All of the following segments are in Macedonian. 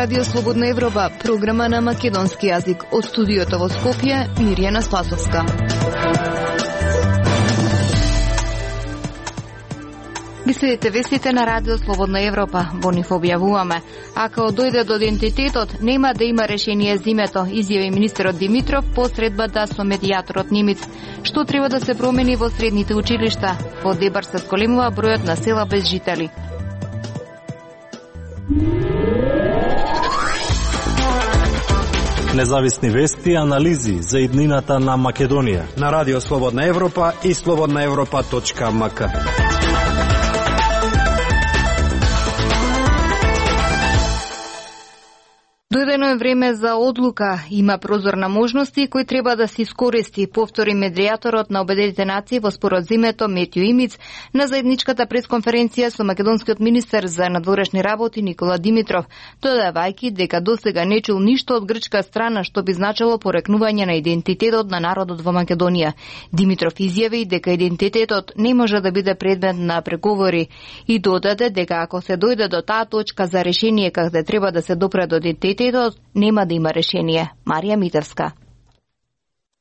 Радио Слободна Европа, програма на македонски јазик. Од студиото во Скопје, Мирјана Спасовска. Ги следите вестите на Радио Слободна Европа. Во нив објавуваме: ако дојде до идентитетот, нема да има решение зимето, изјави министерот Димитров по средбата со медијаторот Нимиц. Што треба да се промени во средните училишта? Во Дебар се зголемува бројот на села без жители. Независни вести и анализи за иднината на Македонија на Радио Слободна Европа и slobodnaevropa.mk. Дојдено е време за одлука. Има прозор на можности кој треба да се искористи, повтори медијаторот на Обединетите нации во споразумето Метју Имиц на заедничката пресконференција со македонскиот министер за надворешни работи Никола Димитров, додавајќи дека досега не чул ништо од грчка страна што би значило порекнување на идентитетот на народот во Македонија. Димитров изјави дека идентитетот не може да биде предмет на преговори и додаде дека ако се дојде до таа точка за решение каде треба да се допре до идентитетот, нема да има решение. Марија Митевска.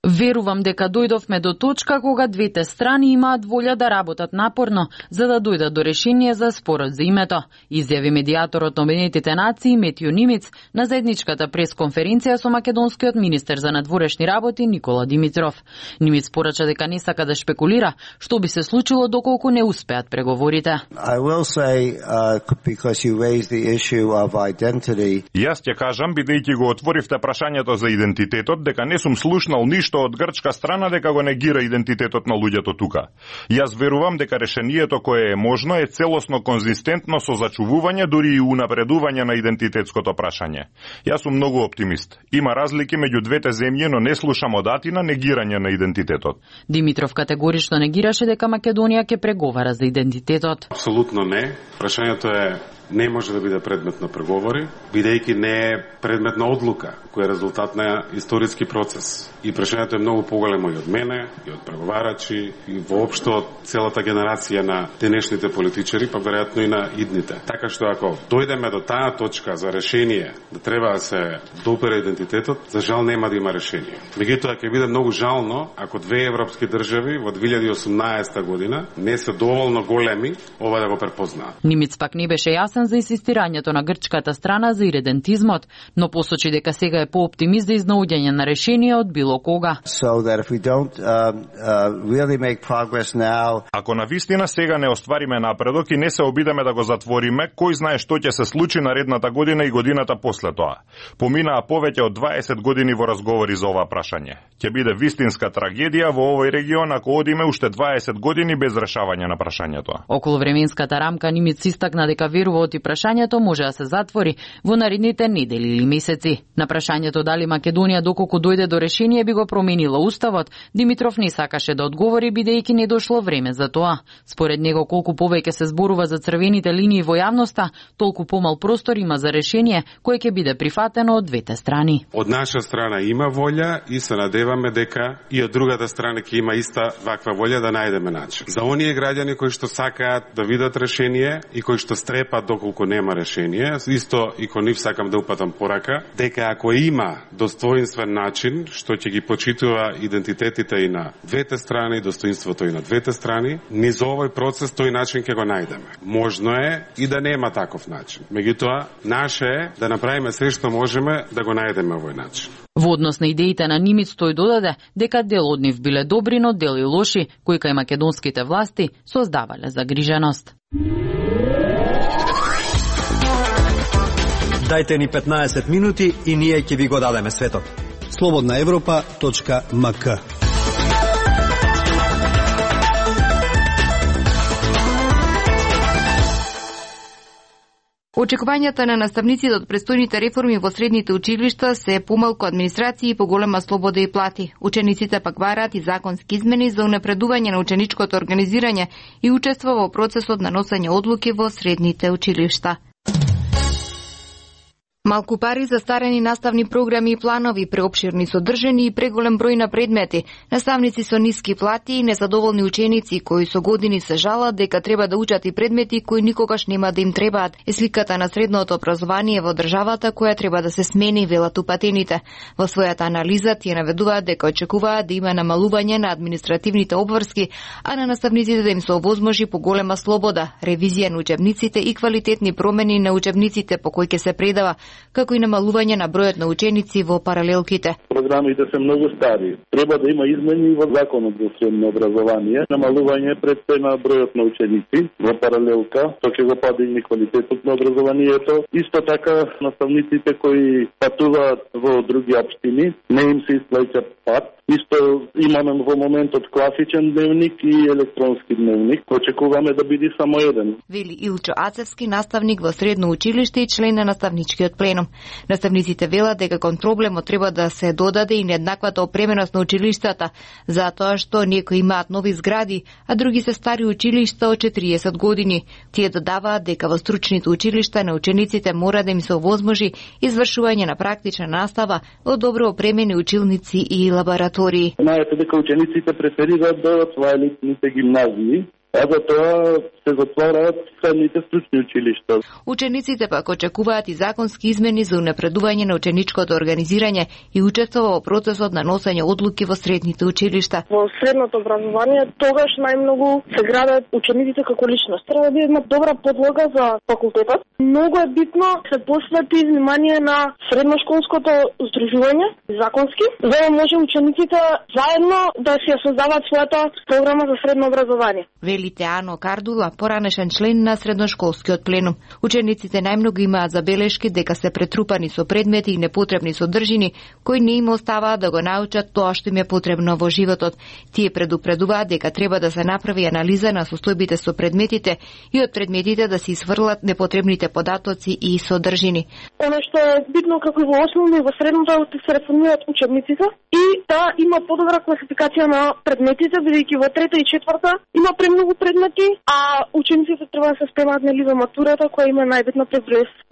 Верувам дека дојдовме до точка кога двете страни имаат волја да работат напорно за да дојдат до решение за спорот за името, изјави медијаторот на Обединетите нации Метју Нимиц на заедничката пресконференција со македонскиот министер за надворешни работи Никола Димитров. Нимиц порача дека не сака да шпекулира што би се случило доколку не успеат преговорите. Јас ќе кажам, бидејќи го отворивте прашањето за идентитетот, дека не сум слушнал ништо од грчка страна дека го негира идентитетот на луѓето тука. Јас верувам дека решението кое е можно е целосно конзистентно со зачувување, дури и унапредување на идентитетското прашање. Јас сум многу оптимист. Има разлики меѓу двете земји, но не слушам одатина негирање на идентитетот. Димитров категорично негираше дека Македонија ќе преговара за идентитетот. Апсолутно не. Прашањето не може да биде предмет на преговори, бидејќи не е предмет на одлука, која е резултат на историски процес. И прашањето е многу поголемо и од мене, и од преговарачи, и воопшто од целата генерација на денешните политичари, па веројатно и на идните. Така што ако дојдеме до таа точка за решение, да треба да се допере идентитетот, за жал нема да има решение. Меѓутоа ќе биде многу жално ако две европски држави во 2018 година не се доволно големи ова да го препознаат. Нимиц пак не беше јасен за инсистирањето на грчката страна за иредентизмот, но посочи дека сега е пооптимист за изнаоѓање на решение од било кога. Ако навистина сега не оствариме напредок и не се обидеме да го затвориме, кој знае што ќе се случи наредната година и годината после тоа. Поминаа повеќе од 20 години во разговори за ова прашање. Ќе биде вистинска трагедија во овој регион ако одиме уште 20 години без решавање на прашањето. Околу временската рамка Нимиц истакна дека верува и прашањето може да се затвори во наредните недели или месеци. На прашањето дали Македонија доколку дојде до решение би го променила уставот, Димитров не сакаше да одговори бидејќи не дошло време за тоа. Според него колку повеќе се зборува за црвените линии во јавноста, толку помал простор има за решение кое ќе биде прифатено од двете страни. Од наша страна има волја и се надеваме дека и од другата страна ќе има иста ваква волја да најдеме начин. За оние граѓани кои што сакаат да видат решение и кои што стрепат доколку нема решение, исто и кон нив сакам да упатам порака, дека ако има достоинствен начин, што ќе ги почитува идентитетите и на двете страни, достоинството и на двете страни, низ овој процес тој начин ќе го најдеме. Можно е и да нема таков начин. Меѓутоа, наше е да направиме се што можеме да го најдеме овој начин. Во однос на идеите на Нимиц тој додаде дека дел од нив биле добри, но дел и лоши, кои кај македонските власти создавале загриженост. Дајте ни 15 минути и ние ќе ви го дадеме светот. slobodnaevropa.mk. Очекувањата на наставниците од престојните реформи во средните училишта се помалку администрација и поголема слобода и плати. Учениците пак бараат и законски измени за унапредување на ученичкото организирање и учество во процесот на носење одлуки во средните училишта. Малку пари за старени наставни програми и планови, преопширни содржини и преголем број на предмети, наставници со ниски плати и незадоволни ученици кои со години се жалат дека треба да учат и предмети кои никогаш нема да им требаат, е сликата на средното образование во државата која треба да се смени, велат упатените. Во својата анализа тие наведуваат дека очекуваат да има намалување на административните обврски, а на наставниците да им се овозможи поголема слобода, ревизија на учебниците и квалитетни промени на учебниците по кои ќе се предава, како и намалување на бројот на ученици во паралелките. Програмите се многу стари. Треба да има измени во законот за средно образование, намалување предстои на бројот на ученици во паралелка, тоа ќе го падне квалитетот на образованието. Исто така наставниците кои патуваат во други општини, не им се исплаќа пат. Исто имаме во моментот класичен дневник и електронски дневник, очекуваме да биде само еден. Вели Илчо Ацевски, наставник во средно училиште и член на наставничкиот пленум. Наставниците велат дека кон проблемот треба да се додаде и нееднаквата опременост на училиштата, затоа што некои имаат нови згради, а други се стари училишта од 40 години. Тие додаваат дека во стручните училишта на учениците мора да им се овозможи извршување на практична настава од добро опремени училници и лаборатории. Знаете дека учениците преферираат да отвајат елитните гимназии, а за тоа се затвораат средните стручни училишта. Учениците пак очекуваат и законски измени за унапредување на ученичкото организирање и учество во процесот на носење одлуки во средните училишта. Во средното образование тогаш најмногу се градат учениците како личност. Треба да има добра подлога за факултетот. Многу е битно се посвети внимание на средношколското здружување, законски, за да може учениците заедно да си ја создаваат својата програма за средно образование. Велите Ано Кардула, поранешен член на средношколскиот пленум. Учениците најмногу имаат забелешки дека се претрупани со предмети и непотребни содржини кои не им оставаат да го научат тоа што им е потребно во животот. Тие предупредуваат дека треба да се направи анализа на состојбите со предметите и од предметите да се изфрлат непотребните податоци и содржини. Оно што е битно како и во основно и во средното да се реформираат учебниците и да има подобра класификација на предметите, бидејќи во трета и четврта има премногу предмети, а учениците треба да се спремаат нели за матурата која има најбитна пред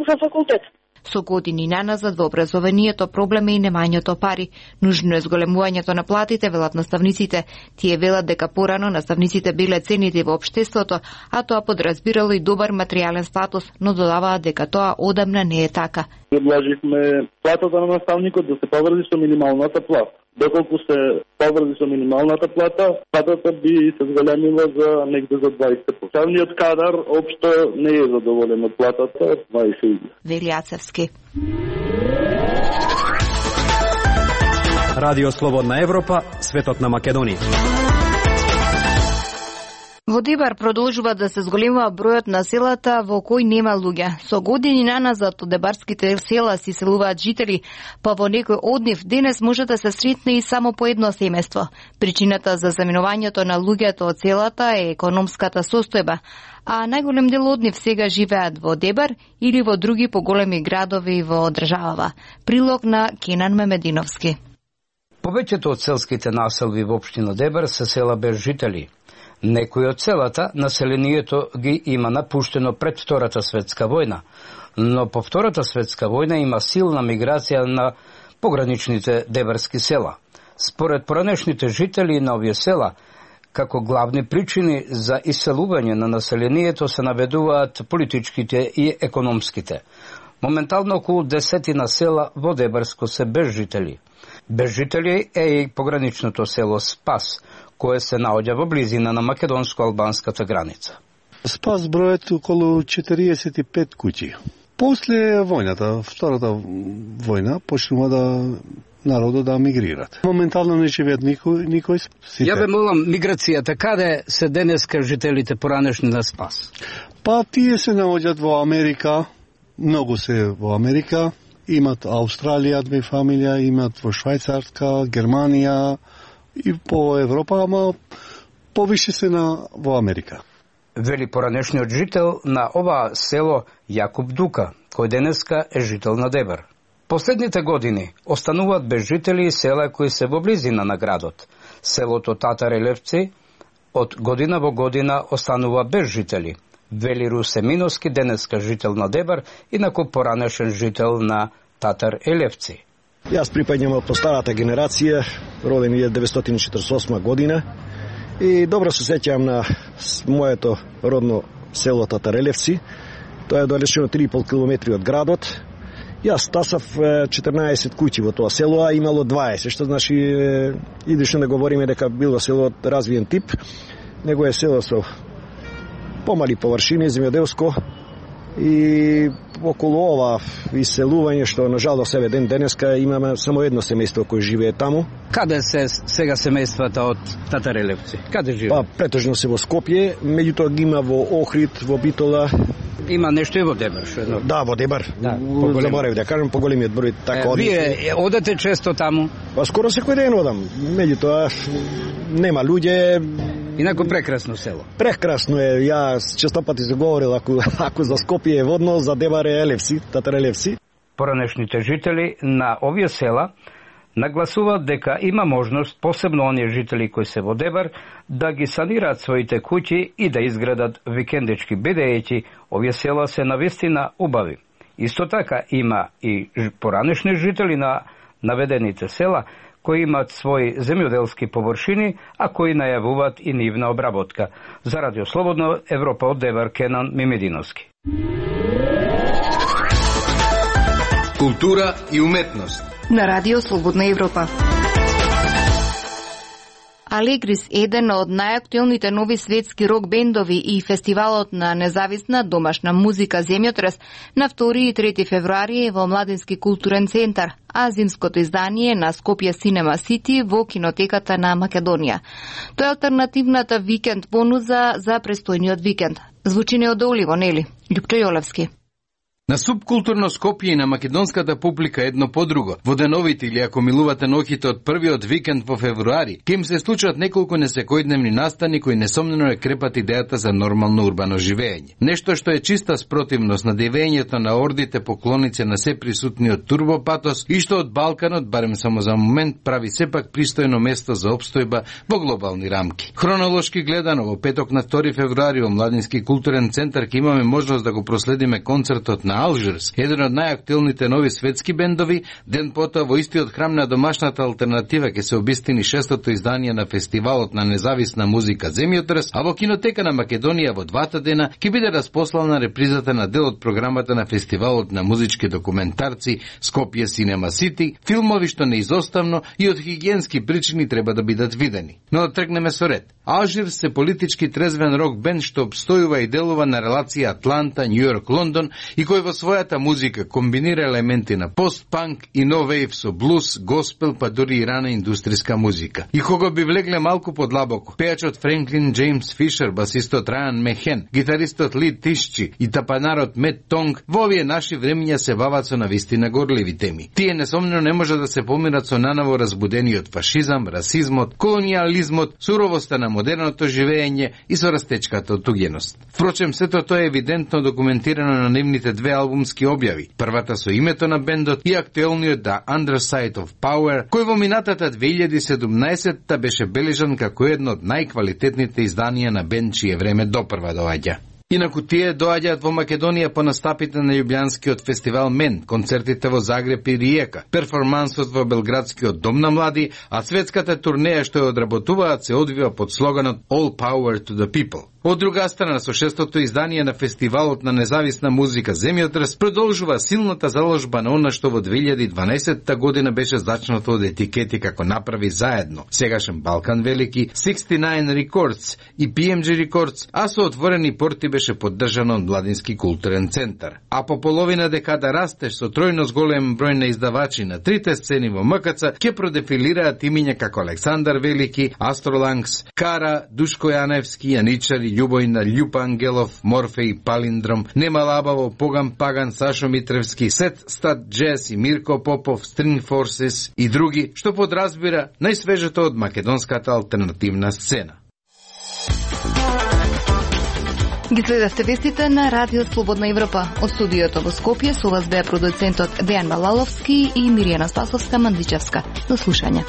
за факултет. Со години наназад во образованието проблем е и немањето пари. Нужно е зголемувањето на платите, велат наставниците. Тие велат дека порано наставниците биле ценити во општеството, а тоа подразбирало и добар материјален статус, но додаваат дека тоа одамна не е така. Предложивме платата на наставникот да се поврзи со минималната плата. Доколку се поврзи со минималната плата, платата би се зголемила за негде за 20%. Савниот кадар општо не е задоволен од платата од 20%. Вели Ацевски. Радио Слободна Европа, светот на Македонија. Во Дебар продолжува да се зголемува бројот на селата во кои нема луѓе. Со години наназад од дебарските села си селуваат жители, па во некој од нив денес може да се сретне и само по едно семејство. Причината за заминувањето на луѓето од селата е економската состојба, а најголем дел од нив сега живеат во Дебар или во други поголеми градови во државава. Прилог на Кенан Мемединовски. Повеќето од селските населби во општина Дебар се села без жители. Некои од селата населението ги има напуштено пред Втората светска војна, но по Втората светска војна има силна миграција на пограничните дебарски села. Според поранешните жители на овие села, како главни причини за иселување на населението се наведуваат политичките и економските. Моментално околу 10 села во Дебарско се без жители. Без жители е и пограничното село Спас, кое се наоѓа во близина на македонско-албанската граница. Спас бројат околу 45 куќи. После војната, Втората војна, почнува да народот да мигрират. Моментално не живеат никој. Ја ве молам, миграцијата каде се денеска жителите поранешни на Спас? Па тие се наоѓаат во Америка, многу се во Америка, имат Австралија, две фамилија, имат во Швајцарска, Германија и по Европа, ама повише се во Америка. Вели поранешниот жител на ова село Јакуб Дука, кој денеска е жител на Дебар. Последните години остануваат без жители и села кои се во близина на градот. Селото Татарелевци од година во година останува без жители. вели Русе Миновски, денеска жител на Дебар, инаку поранешен жител на Татар Елевци. Јас припаѓам по старата генерација, роден 1948 година и добро се сеќавам на моето родно село Татарелевци. Тоа е далечено 3,5 километри од градот. Јас тасав 14 куќи во тоа село, а имало 20, што значи идеше да говориме дека било село развиен тип, него е село со помали површини, земјоделско, и околу ова иселување што на жал до себе денеска имаме само едно семејство кој живее таму. Каде се сега семејствата од Татарелевци? Каде живеат? Па претежно се во Скопје, меѓутоа ги има во Охрид, во Битола. Има нешто и во Дебар, што едно. Да, во Дебар. Да, заборев да кажам поголемиот број така. Вие одете често таму? Па скоро секој ден одам. Меѓутоа нема луѓе. Инаку прекрасно село. Прекрасно е. Јас често пати се говорил ако за Скопје е водно, за Дебар е Елевци, Татарелевци. Поранешните жители на овие села нагласуваат дека има можност, посебно оние жители кои се во Дебар, да ги санираат своите куќи и да изградат викендички, бидејќи овие села се навистина убави. Исто така има и поранешни жители на наведените села кои имат своји земјоделски површини, а кои најавуваат и нивна обработка. За Радио Слободна Европа од Дебар, Кенан Мимединовски. Култура и уметност на Радио Слободна Европа. Алегрис, еден од најактуелните нови светски рок бендови и фестивалот на независна домашна музика Земјотрес на 2 и 3 февруари во Младински културен центар, а зимското издание на Скопје Cinema City во кинотеката на Македонија. Тоа е алтернативната викенд понуда за престојниот викенд. Звучи неодоливо, нели? Љупчо Јолевски. На субкултурно Скопје и на македонската публика едно по друго. Во деновите или ако милувате ноќите од првиот викенд во февруари, ке им се случат неколку несекојдневни настани кои несомнено е крепат идејата за нормално урбано живење. Нешто што е чиста спротивност на девењето на ордите поклоници на се присутниот турбопатос и што од Балканот, барем само за момент, прави сепак пристојно место за опстојба во глобални рамки. Хронолошки гледано, во петок на 2 февруари во Младински културен центар ќе имаме можност да го проследиме концертот на Алжирс, еден од најактуелните нови светски бендови. Ден потоа во истиот храм на домашната алтернатива ќе се обистини 6-тото издание на фестивалот на независна музика Земјотрес, а во кинотека на Македонија во двата дена ќе биде распослана репризата на дел од програмата на фестивалот на музички документарци Скопје Cinema City, филмови што неизоставно и од хигиенски причини треба да бидат видени. Но да тргнеме со ред. Алжирс се политички трезвен рок бенд што обстојува и делува на релација Атланта, Њујорк, Лондон и кој во својата музика комбинира елементи на пост-панк и нов-вейв со блуз, госпел, па дури и рана индустријска музика. И кога би влегле малку подлабоко, пејачот Френклин Джеймс Фишер, басистот Рајан Мехен, гитаристот Ли Тишчи и тапанарот Мет Тонг во овие наши времиња се бават со навистина горливи теми. Тие несомнено не може да се помират со наново разбудениот фашизам, расизмот, колониализмот, суровоста на модерното живење и со растечката од туѓеност. Впрочем, сето тоа е евидентно документирано на нивните две албумски објави. Првата со името на бендот и актуелниот The Underside of Power, кој во минатата 2017 беше бележан како едно од најквалитетните изданија на бенд чие време допрва доаѓа. Инаку тие доаѓаат во Македонија по настапите на Љубљанскиот фестивал МЕН, концертите во Загреб и Риека, перформансот во Белградскиот дом на млади, а светската турнеја што ја одработуваат се одвива под слоганот All Power to the People. Од друга страна, со 6-тото издание на фестивалот на независна музика Земјотрес продолжува силната заложба на она што во 2012 година беше зачнато од етикети како Направи заедно, сегашен Балкан Велики, 69 Records и PMG Records, а со отворени порти беше поддржано од Младински културен центар. А по половина декада растеж со тројно зголем број на издавачи на трите сцени во МКЦ ќе продефилираат имиња како Александар Велики, Астроланкс, Кара, Душко Јаневски, Јаничари, Љубојна, Љупа Ангелов, Морфеј, Палиндром, Нема Лабаво, Поган Паган, Сашо Митревски, Сет Стат Джез и Мирко Попов, String Forces и други, што подразбира најсвежето од македонската алтернативна сцена. Ги следевте вестите на Радио Слободна Европа. Од студиото во Скопје со вас беа продуцентот Дејан Балаловски и Миријана Спасовска-Мандичевска. До слушање.